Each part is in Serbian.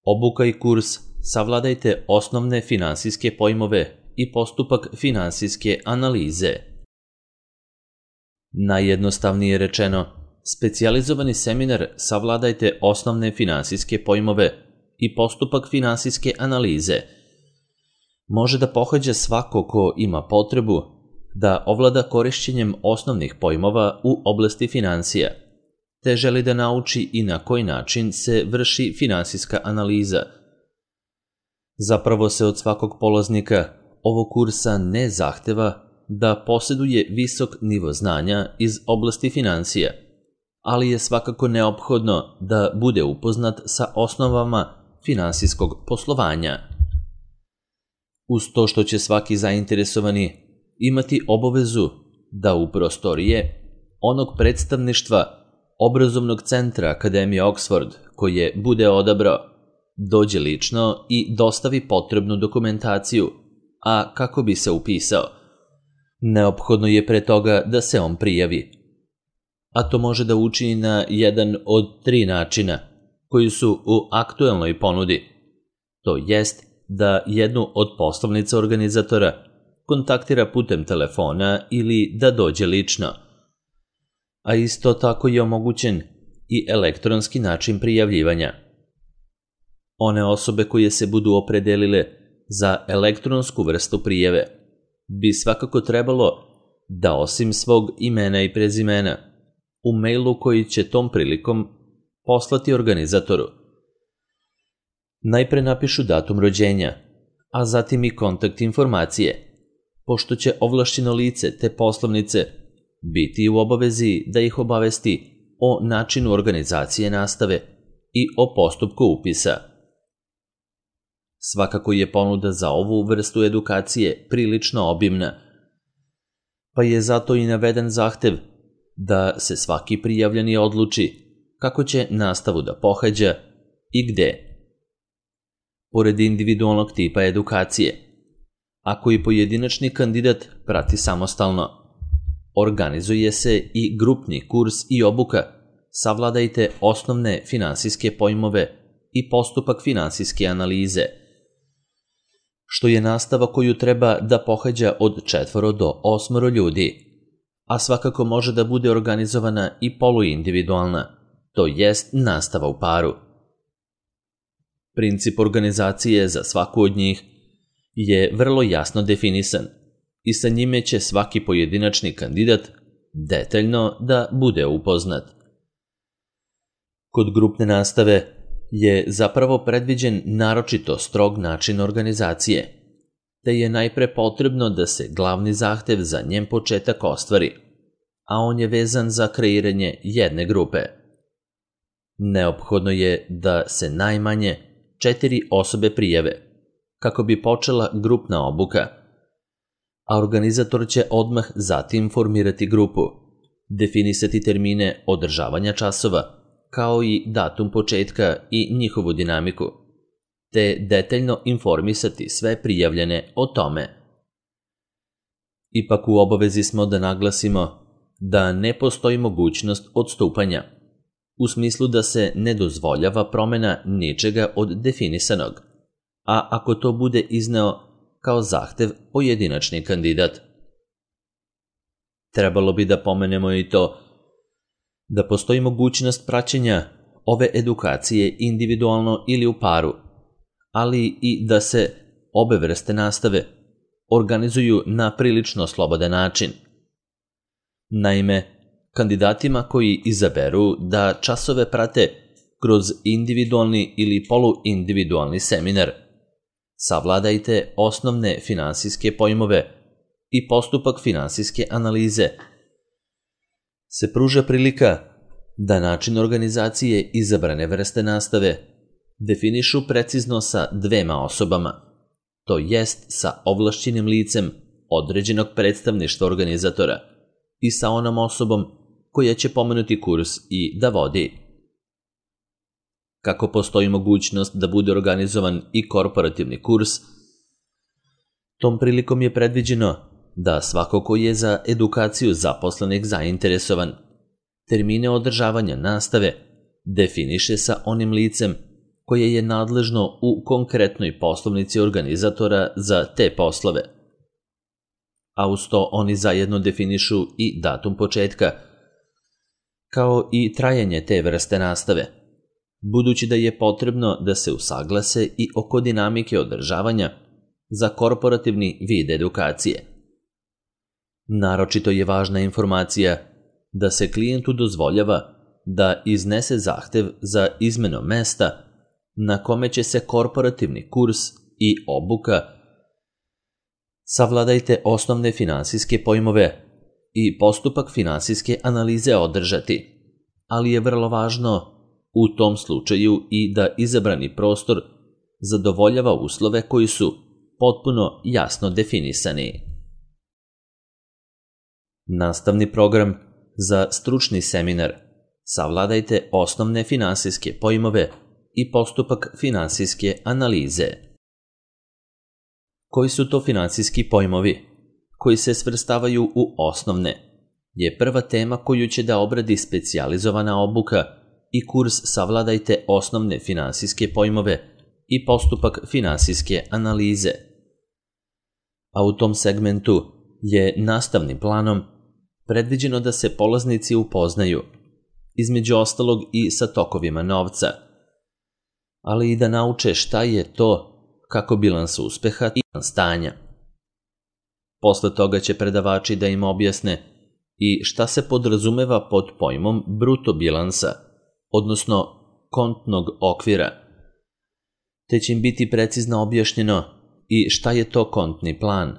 Obuka i kurs Savladajte osnovne finansijske pojmove i postupak finansijske analize. Najjednostavnije rečeno, specijalizovani seminar Savladajte osnovne finansijske pojmove i postupak finansijske analize može da pohađa svako ko ima potrebu da ovlada korišćenjem osnovnih pojmova u oblasti finansija, te želi da nauči i na koji način se vrši finansijska analiza. Zapravo se od svakog polaznika ovog kursa ne zahteva da posjeduje visok nivo znanja iz oblasti finansija, ali je svakako neophodno da bude upoznat sa osnovama finansijskog poslovanja. Uz to što će svaki zainteresovani imati obavezu da u prostorije onog predstavništva obrazovnog centra Akademije Oxford koje bude odabrao, dođe lično i dostavi potrebnu dokumentaciju, a kako bi se upisao, neophodno je pre toga da se on prijavi. A to može da učini na jedan od 3 načina koji su u aktuelnoj ponudi. To jest da jednu od poslovnica organizatora kontaktira putem telefona ili da dođe lično. A isto tako je omogućen i elektronski način prijavljivanja. One osobe koje se budu opredelile za elektronsku vrstu prijave bi svakako trebalo da osim svog imena i prezimena u mailu koji će tom prilikom poslati organizatoru najpre napišu datum rođenja, a zatim i kontakt informacije, pošto će ovlašćeno lice te poslovnice biti u obavezi da ih obavesti o načinu organizacije nastave i o postupku upisa. Svakako je ponuda za ovu vrstu edukacije prilično obimna, pa je zato i naveden zahtev da se svaki prijavljeni odluči kako će nastavu da pohađa i gde. Pored individualnog tipa edukacije, ako i pojedinačni kandidat prati samostalno, organizuje se i grupni kurs i obuka Savladajte osnovne finansijske pojmove i postupak finansijske analize, što je nastava koju treba da pohađa od 4 do 8 ljudi, a svakako može da bude organizovana i poluindividualna, to jest nastava u paru. Princip organizacije za svaku od njih je vrlo jasno definisan i sa njime će svaki pojedinačni kandidat detaljno da bude upoznat. Kod grupne nastave je zapravo predviđen naročito strog način organizacije, te je najpre potrebno da se glavni zahtev za njen početak ostvari, a on je vezan za kreiranje jedne grupe. Neophodno je da se najmanje 4 osobe prijave, kako bi počela grupna obuka, a organizator će odmah zatim formirati grupu, definisati termine održavanja časova, kao i datum početka i njihovu dinamiku, te detaljno informisati sve prijavljene o tome. Ipak u obavezi smo da naglasimo da ne postoji mogućnost odstupanja, u smislu da se ne dozvoljava promena ničega od definisanog, a ako to bude izneo kao zahtev pojedinačni kandidat. Trebalo bi da pomenemo i to da postoji mogućnost praćenja ove edukacije individualno ili u paru, ali i da se obe vrste nastave organizuju na prilično slobodan način. Naime, kandidatima koji izaberu da časove prate kroz individualni ili poluindividualni seminar Savladajte osnovne finansijske pojmove i postupak finansijske analize se pruža prilika da način organizacije izabrane vrste nastave definišu precizno sa 2 osobama, to jest sa ovlašćenim licem određenog predstavništva organizatora i sa onom osobom koja će pomenuti kurs i da vodi. Kako postoji mogućnost da bude organizovan i korporativni kurs, tom prilikom je predviđeno da svako ko je za edukaciju zaposlenih zainteresovan, termine održavanja nastave definiše sa onim licem koje je nadležno u konkretnoj poslovnici organizatora za te poslove. A uz to oni zajedno definišu i datum početka, kao i trajanje te vrste nastave, budući da je potrebno da se usaglase i oko dinamike održavanja za korporativni vid edukacije. Naročito je važna informacija da se klijentu dozvoljava da iznese zahtev za izmenom mesta na kome će se korporativni kurs i obuka Savladajte osnovne finansijske pojmove i postupak finansijske analize održati, ali je vrlo važno u tom slučaju i da izabrani prostor zadovoljava uslove koji su potpuno jasno definisani. Nastavni program za stručni seminar Savladajte osnovne finansijske pojmove i postupak finansijske analize. Koji su to finansijski pojmovi koji se svrstavaju u osnovne je prva tema koju će da obradi specijalizovana obuka i kurs Savladajte osnovne finansijske pojmove i postupak finansijske analize. A u tom segmentu je nastavnim planom predviđeno da se polaznici upoznaju, između ostalog i sa tokovima novca, ali i da nauče šta je to kako bilans uspeha i bilans stanja. Posle toga će predavači da im objasne i šta se podrazumeva pod pojmom bruto bilansa, odnosno kontnog okvira, te će im biti precizno objašnjeno i šta je to kontni plan,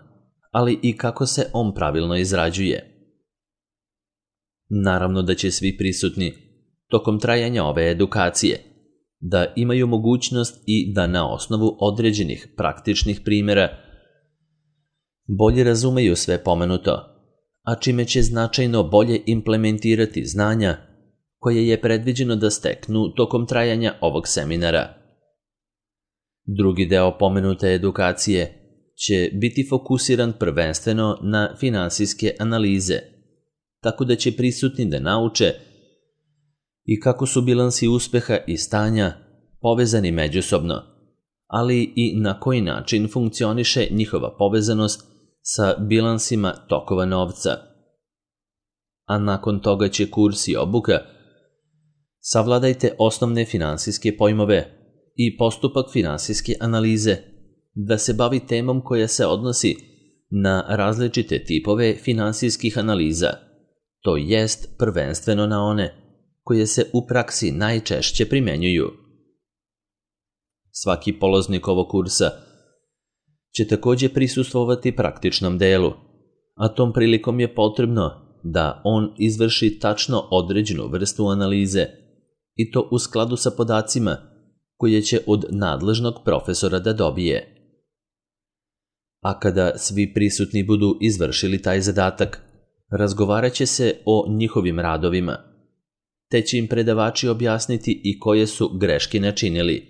ali i kako se on pravilno izrađuje. Naravno da će svi prisutni tokom trajanja ove edukacije da imaju mogućnost i da na osnovu određenih praktičnih primjera bolje razumeju sve pomenuto, a čime će značajno bolje implementirati znanja koje je predviđeno da steknu tokom trajanja ovog seminara. Drugi deo pomenute edukacije će biti fokusiran prvenstveno na finansijske analize, tako da će prisutni da nauče i kako su bilansi uspeha i stanja povezani međusobno, ali i na koji način funkcioniše njihova povezanost sa bilansima tokova novca. A nakon toga će kurs i obuka Savladajte osnovne finansijske pojmove i postupak finansijske analize da se bavi temom koja se odnosi na različite tipove finansijskih analiza, to jest prvenstveno na one koje se u praksi najčešće primenjuju. Svaki polaznik ovog kursa će također prisustvovati praktičnom delu, a tom prilikom je potrebno da on izvrši tačno određenu vrstu analize i to u skladu sa podacima koje će od nadležnog profesora da dobije. A kada svi prisutni budu izvršili taj zadatak, razgovarat će se o njihovim radovima, te će im predavači objasniti i koje su greške načinili,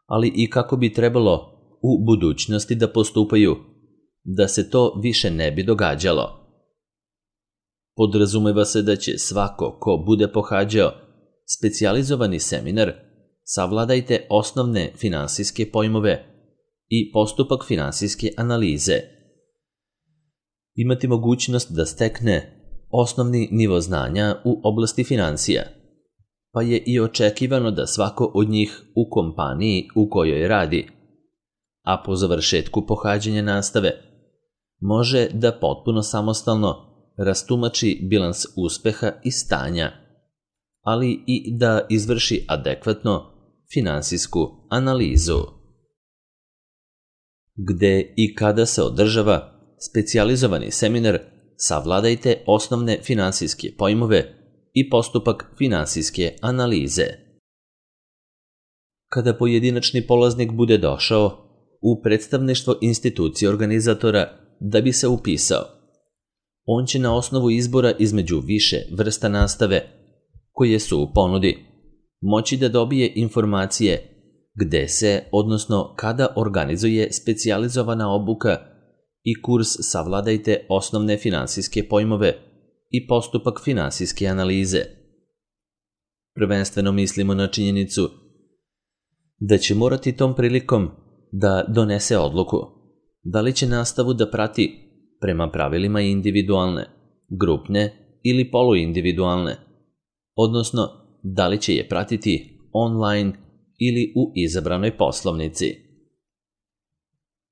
ali i kako bi trebalo u budućnosti da postupaju, da se to više ne bi događalo. Podrazumeva se da će svako ko bude pohađao specijalizovani seminar Savladajte osnovne finansijske pojmove i postupak finansijske analize imati mogućnost da stekne osnovni nivo znanja u oblasti financija, pa je i očekivano da svako od njih u kompaniji u kojoj radi, a po završetku pohađanja nastave, može da potpuno samostalno rastumači bilans uspeha i stanja, ali i da izvrši adekvatno finansijsku analizu. Gde i kada se održava specijalizovani seminar Savladajte osnovne finansijske pojmove i postupak finansijske analize. Kada pojedinačni polaznik bude došao u predstavništvo institucije organizatora da bi se upisao, on će na osnovu izbora između više vrsta nastave koje su u ponudi moći da dobije informacije gde se, odnosno kada organizuje specijalizovana obuka i kurs Savladajte osnovne finansijske pojmove i postupak finansijske analize. Prvenstveno mislimo na činjenicu da će morati tom prilikom da donese odluku da li će nastavu da prati prema pravilima individualne, grupne ili poluindividualne, odnosno da li će je pratiti online ili u izabranoj poslovnici.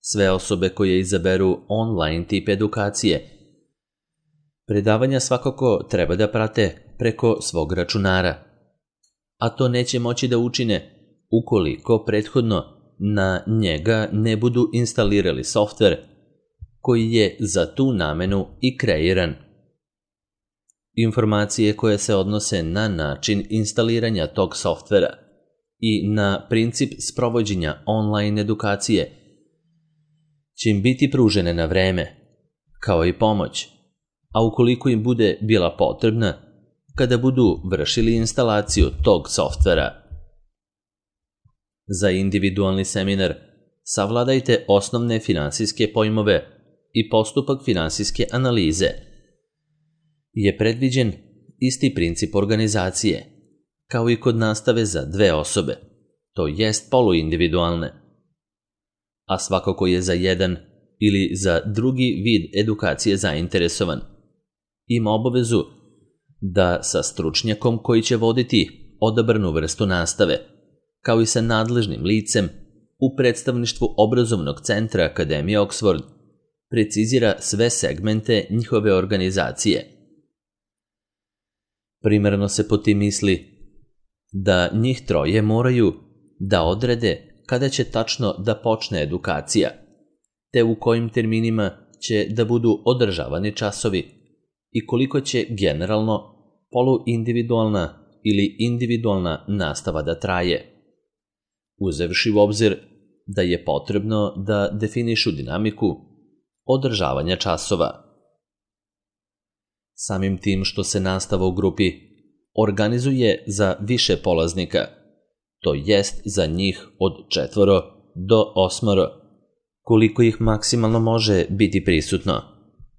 Sve osobe koje izaberu online tip edukacije predavanja svakako treba da prate preko svog računara, a to neće moći da učine ukoliko prethodno na njega ne budu instalirali softver koji je za tu namenu i kreiran. Informacije koje se odnose na način instaliranja tog softvera i na princip sprovođenja online edukacije će im biti pružene na vreme, kao i pomoć, a ukoliko im bude bila potrebna, kada budu vršili instalaciju tog softvera. Za individualni seminar savladajte osnovne finansijske pojmove i postupak finansijske analize. Je predviđen isti princip organizacije, kao i kod nastave za 2 osobe, to jest poluindividualne. A svako ko je za jedan ili za drugi vid edukacije zainteresovan, ima obavezu da sa stručnjakom koji će voditi odabranu vrstu nastave, kao i sa nadležnim licem u predstavništvu obrazovnog centra Akademije Oxford, precizira sve segmente njihove organizacije. Primarno se po tim misli da njih 3 moraju da odrede kada će tačno da počne edukacija, te u kojim terminima će da budu održavani časovi i koliko će generalno poluindividualna ili individualna nastava da traje, uzevši u obzir da je potrebno da definišu dinamiku održavanja časova. Samim tim što se nastava u grupi organizuje za više polaznika, to jest za njih od 4 do 8, koliko ih maksimalno može biti prisutno.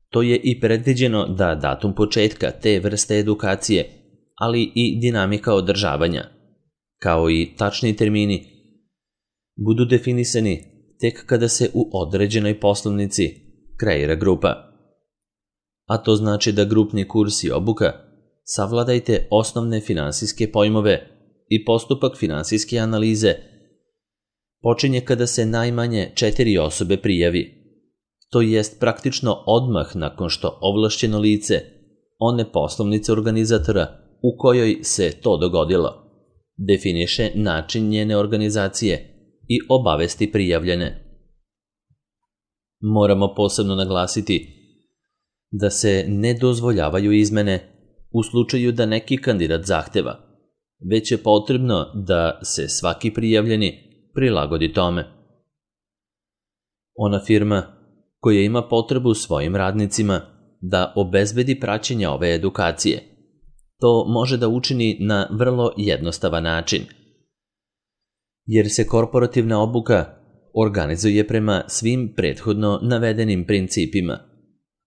To je i predviđeno da datum početka te vrste edukacije, ali i dinamika održavanja, kao i tačni termini, budu definisani tek kada se u određenoj poslovnici kreira grupa. A to znači da grupni kurs i obuka savladajte osnovne finansijske pojmove i postupak finansijske analize počinje kada se najmanje 4 osobe prijavi, to jest praktično odmah nakon što ovlašćeno lice one poslovnice organizatora u kojoj se to dogodilo definiše način njene organizacije i obavesti prijavljene. Moramo posebno naglasiti da se ne dozvoljavaju izmene u slučaju da neki kandidat zahteva, već je potrebno da se svaki prijavljeni prilagodi tome. Ona firma koja ima potrebu svojim radnicima da obezbedi praćenje ove edukacije, to može da učini na vrlo jednostavan način, jer se korporativna obuka organizuje prema svim prethodno navedenim principima,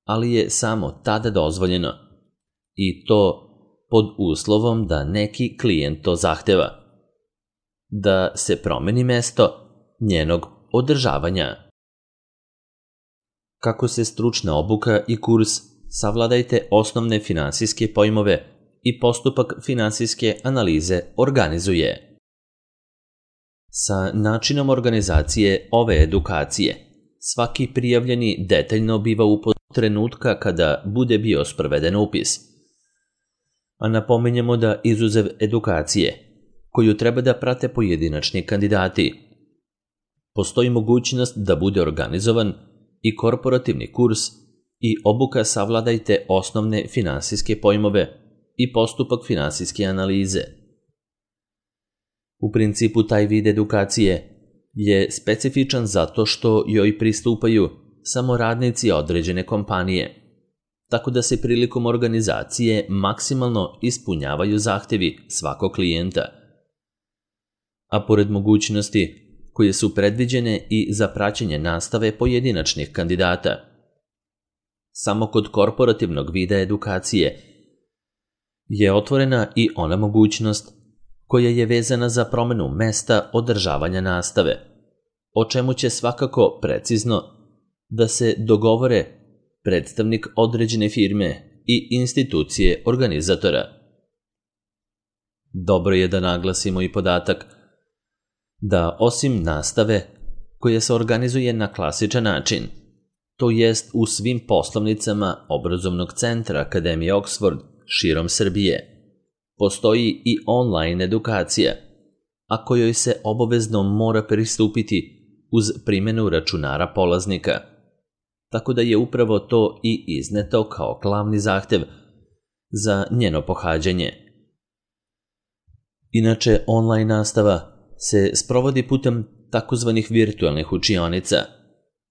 ali je samo tada dozvoljeno, i to pod uslovom da neki klijent to zahteva, da se promeni mesto njenog održavanja. Kako se stručna obuka i kurs savladajte osnovne finansijske pojmove i postupak finansijske analize organizuje. Sa načinom organizacije ove edukacije, svaki prijavljeni detaljno biva upoznat trenutka kada bude bio sproveden upis. A napominjemo da izuzev edukacije, koju treba da prate pojedinačni kandidati, postoji mogućnost da bude organizovan i korporativni kurs i obuka savladajte osnovne finansijske pojmove i postupak finansijske analize. U principu taj vid edukacije je specifičan zato što joj pristupaju samo radnici određene kompanije, tako da se prilikom organizacije maksimalno ispunjavaju zahtevi svakog klijenta. A pored mogućnosti koje su predviđene i za praćenje nastave pojedinačnih kandidata, samo kod korporativnog vida edukacije je otvorena i ona mogućnost koja je vezana za promenu mesta održavanja nastave, o čemu će svakako precizno da se dogovore predstavnik određene firme i institucije organizatora. Dobro je da naglasimo i podatak da osim nastave koja se organizuje na klasičan način, to jest u svim poslovnicama obrazovnog centra Akademije Oxford širom Srbije, postoji i online edukacija, a kojoj se obavezno mora pristupiti uz primjenu računara polaznika, tako da je upravo to i izneto kao glavni zahtev za njeno pohađanje. Inače, online nastava se sprovodi putem takozvanih virtualnih učionica,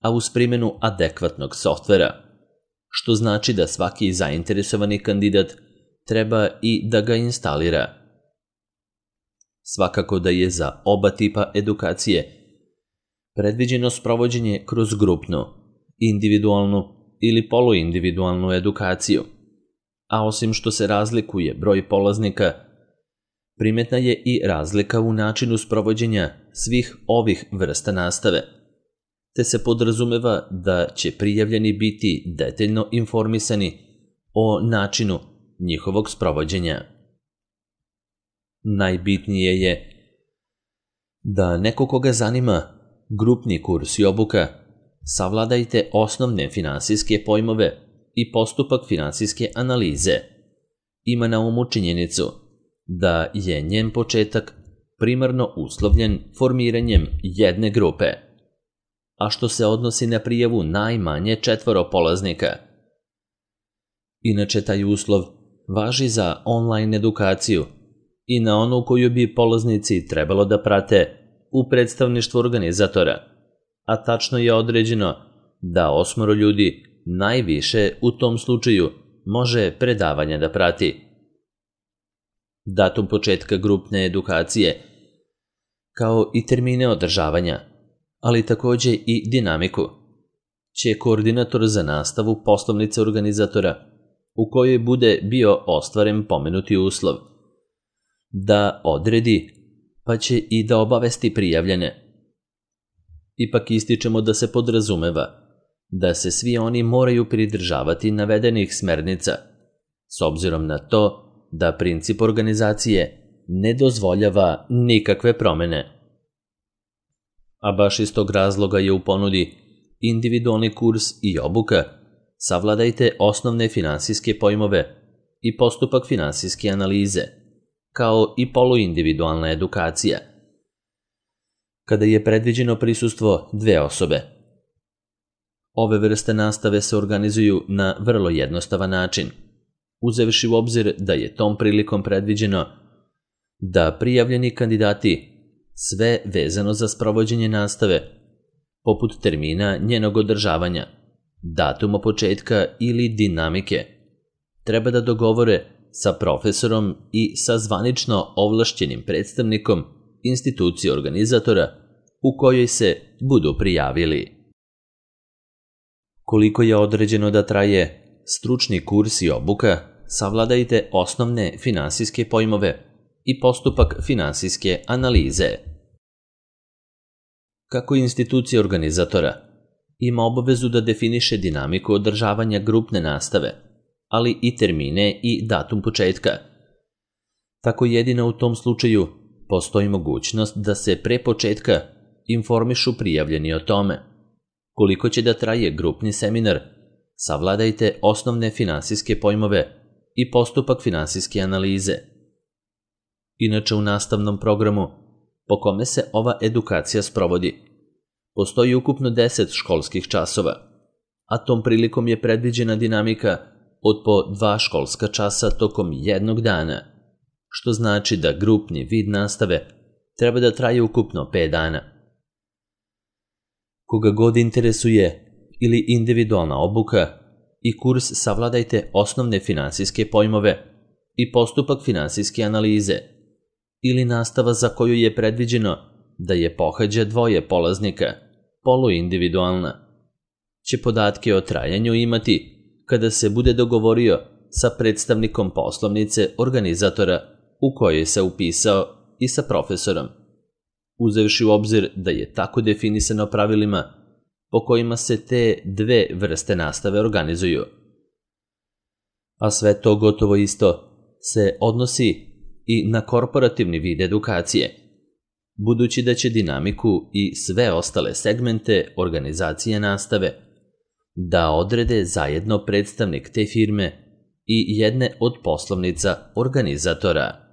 a uz primjenu adekvatnog softvera, što znači da svaki zainteresovani kandidat treba i da ga instalira. Svakako da je za oba tipa edukacije predviđeno sprovođenje kroz grupnu, individualnu ili poluindividualnu edukaciju, a osim što se razlikuje broj polaznika, primetna je i razlika u načinu sprovođenja svih ovih vrsta nastave, te se podrazumeva da će prijavljeni biti detaljno informisani o načinu njihovog sprovođenja. Najbitnije je da neko koga zanima grupni kurs i obuka, savladajte osnovne finansijske pojmove i postupak finansijske analize. Ima na umu činjenicu da je njen početak primarno uslovljen formiranjem jedne grupe, a što se odnosi na prijavu najmanje 4 polaznika. Inače, taj uslov važi za online edukaciju i na onu koju bi polaznici trebalo da prate u predstavništvu organizatora, a tačno je određeno da 8 ljudi najviše u tom slučaju može predavanje da prati. Datum početka grupne edukacije, kao i termine održavanja, ali takođe i dinamiku, će koordinator za nastavu poslovnice organizatora, u kojoj bude bio ostvaren pomenuti uslov, da odredi, pa će i da obavesti prijavljene. Ipak ističemo da se podrazumeva da se svi oni moraju pridržavati navedenih smernica, s obzirom na to da princip organizacije ne dozvoljava nikakve promene. A baš iz tog razloga je u ponudi individualni kurs i obuka Savladajte osnovne finansijske pojmove i postupak finansijske analize, kao i poluindividualna edukacija, kada je predviđeno prisustvo 2 osobe. Ove vrste nastave se organizuju na vrlo jednostavan način, uzevši u obzir da je tom prilikom predviđeno da prijavljeni kandidati sve vezano za sprovođenje nastave, poput termina njenog održavanja, datuma početka ili dinamike, treba da dogovore sa profesorom i sa zvanično ovlašćenim predstavnikom institucije organizatora u kojoj se budu prijavili. Koliko je određeno da traje stručni kurs i obuka, savladajte osnovne finansijske pojmove i postupak finansijske analize. Kako institucija organizatora ima obavezu da definiše dinamiku održavanja grupne nastave, ali i termine i datum početka, tako jedino u tom slučaju postoji mogućnost da se pre početka informišu prijavljeni o tome. Koliko će da traje grupni seminar, savladajte osnovne finansijske pojmove i postupak finansijske analize. Inače, u nastavnom programu po kome se ova edukacija sprovodi, postoji ukupno 10 školskih časova, a tom prilikom je predviđena dinamika od po 2 školska časa tokom jednog dana, što znači da grupni vid nastave treba da traje ukupno 5 dana. Koga god interesuje ili individualna obuka i kurs savladajte osnovne finansijske pojmove i postupak finansijske analize, ili nastava za koju je predviđeno da je pohađa 2 polaznika, poluindividualna, će podatke o trajanju imati kada se bude dogovorio sa predstavnikom poslovnice organizatora u kojoj se upisao i sa profesorom, uzevši u obzir da je tako definisano pravilima po kojima se te dve vrste nastave organizuju. A sve to gotovo isto se odnosi i na korporativni vid edukacije, budući da će dinamiku i sve ostale segmente organizacije nastave da odrede zajedno predstavnik te firme i jedne od poslovnica organizatora.